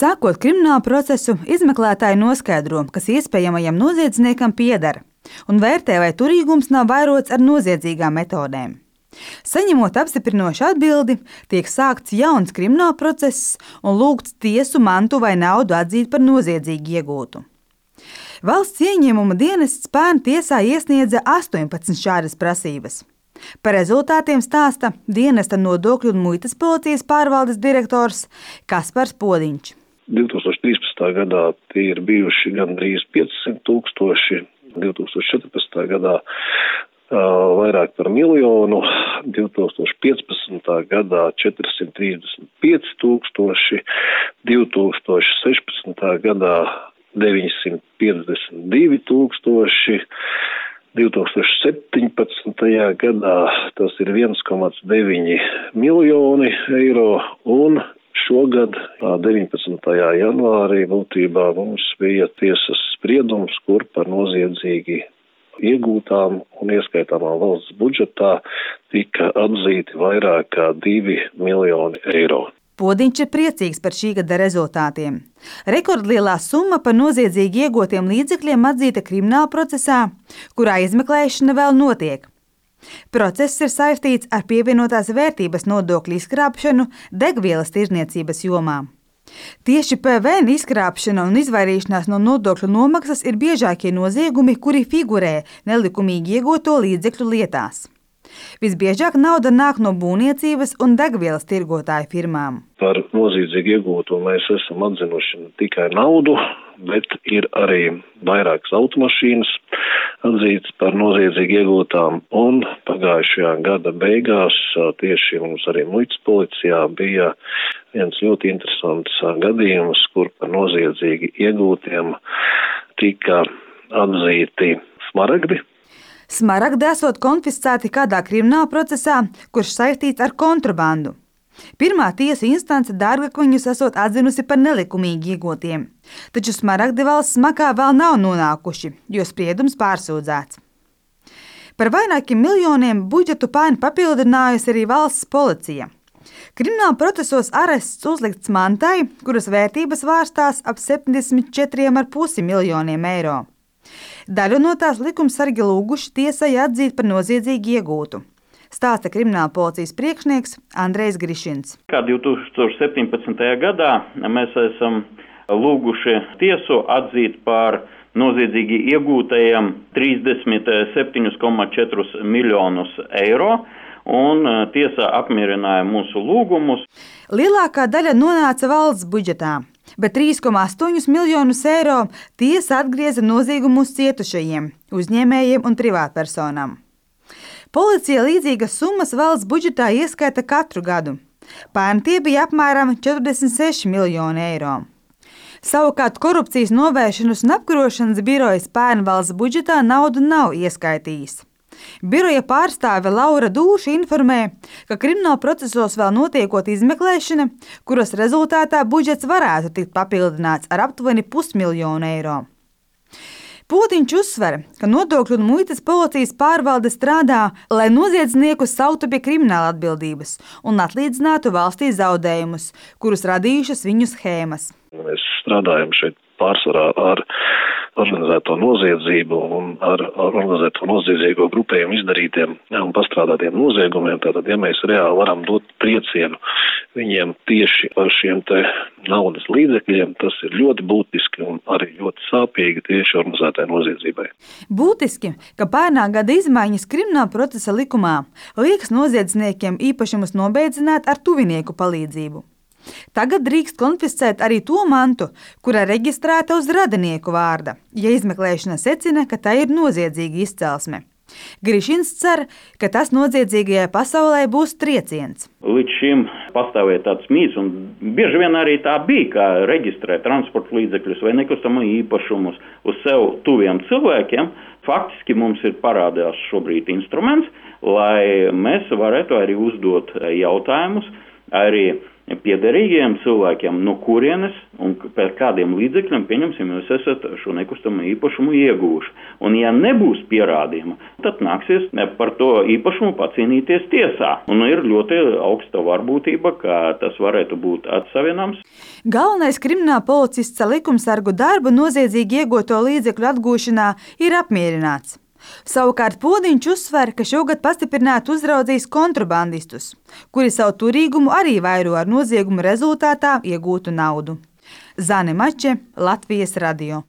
Sākot kriminālu procesu, izmeklētāji noskaidro, kas iespējamajam noziedzniekam pieder, un vērtē, vai turīgums nav vairots ar noziedzīgām metodēm. Saņemot apstiprinošu atbildi, tiek sākts jauns krimināla process un lūgts tiesu mantu vai naudu atzīt par noziedzīgi iegūtu. Valsts ieņēmuma dienests pērn tiesā iesniedza 18 šādas prasības. Par rezultātiem stāsta dienesta nodokļu un muitas policijas pārvaldes direktors Kaspars Podiņš. 2013. gadā tie ir bijuši gandrīz 500 000, 2014. gadā vairāk par 1 miljonu, 2015. gadā 435 000, 2016. gadā 952 000, 2017. gadā tas ir 1,9 miljoni eiro un šogad 19. janvārī būtībā mums bija tiesas spriedums, kur par noziedzīgi iegūtām un ieskaitāmā valsts budžetā tika atzīti vairāk kā 2 miljoni eiro. Podiņš ir priecīgs par šī gada rezultātiem. Rekordlielā summa par noziedzīgi iegūtiem līdzekļiem atzīta krimināla procesā, kurā izmeklēšana vēl notiek. Process ir saistīts ar pievienotās vērtības nodokļu izkrāpšanu degvielas tirdzniecības jomā. Tieši PVN izkrāpšana un izvairīšanās no nodokļu nomaksas ir biežākie noziegumi, kuri figurē nelikumīgi iegūto līdzekļu lietās. Visbiežāk nauda nāk no būvniecības un degvielas tirgotāju firmām. Par noziedzīgi iegūto mēs esam atzinuši ne tikai naudu, bet ir arī vairākas automašīnas atzītas par noziedzīgi iegūtām, un pagājušajā gada beigās tieši mums arī muitas policijā bija viens ļoti interesants gadījums, kur par noziedzīgi iegūtiem tika atzīti smaragdi. Smaragdi esot konfiscēti kādā krimināla procesā, kurš saistīts ar kontrabandu. Pirmā tiesa instance dārgakmeņus esot atzinusi par nelikumīgi iegūtiem, taču smaragdi valsts makā vēl nav nonākuši, jo spriedums pārsūdzēts. Par vairākiem miljoniem budžetu pērn papildinājusi arī valsts policija. Krimināla procesos arests uzlikts mantai, kuras vērtības vārstās ap 74,5 miljoniem eiro. Daļu no tās likumsargi lūguši tiesai atzīt par noziedzīgi iegūtu, stāsta krimināla policijas priekšnieks Andrejs Grišins. Kā 2017. gadā mēs esam lūguši tiesu atzīt par noziedzīgi iegūtajiem 37,4 miljonus eiro, un tiesa apmierināja mūsu lūgumus. Lielākā daļa nonāca valsts budžetā, bet 3,8 miljonus eiro tiesa atgrieza noziegumus cietušajiem, uzņēmējiem un privātpersonām. Policija līdzīgas summas valsts budžetā ieskaita katru gadu. Pērn tie bija apmēram 46 miljoni eiro. Savukārt korupcijas novēršanas un apkarošanas birojas pērn valsts budžetā naudu nav ieskaitījis. Biroja pārstāve Laura Dūša informē, ka krimināla procesos vēl notiekot izmeklēšana, kuras rezultātā budžets varētu tikt papildināts ar aptuveni 500 000 eiro. Podiņš uzsver, ka nodokļu un muitas policijas pārvalde strādā, lai noziedzniekus sauktu pie krimināla atbildības un atlīdzinātu valstī zaudējumus, kurus radījušas viņu schēmas. Mēs strādājam šeit pārsvarā ar organizēto noziedzību un ar organizēto noziedzīgo grupējumu izdarītiem un pastrādātiem noziegumiem. Tātad, ja mēs reāli varam dot triecienu viņiem tieši par šiem te naudas līdzekļiem, tas ir ļoti būtiski un arī ļoti sāpīgi tieši organizētai noziedzībai. Būtiski, ka pērnā gada izmaiņas krimināla procesa likumā liekas noziedzniekiem īpašumus nobeidzināt ar tuvinieku palīdzību. Tagad drīkst konfiscēt arī to mantu, kura reģistrēta uz radinieku vārda, ja izmeklēšana secina, ka tā ir noziedzīga izcelsme. Grišins cer, ka tas noziedzīgajai pasaulē būs trieciens. Līdz šim pastāvēja tāds mīts, un bieži vien arī tā bija, kā reģistrēt transporta līdzekļus vai nekustamo īpašumus uz sev tuviem cilvēkiem. Faktiski mums ir parādās šobrīd instruments, lai mēs varētu arī uzdot jautājumus, arī piederīgiem cilvēkiem, no kurienes un par kādiem līdzekļiem, pieņemsim, jūs esat šo nekustamo īpašumu iegūši. Un ja nebūs pierādījumu, tad nāksies par to īpašumu pacīnīties tiesā. Un ir ļoti augsta varbūtība, ka tas varētu būt atsavienams. Galvenais krimināla policists ar likumsargu darbu noziedzīgi iegūto līdzekļu atgūšanā ir apmierināts. Savukārt Podiņš uzsver, ka šogad pastiprināti uzraudzīs kontrabandistus, kuri savu turīgumu arī vairo ar noziegumu rezultātā iegūtu naudu. Zane Mače, Latvijas radio.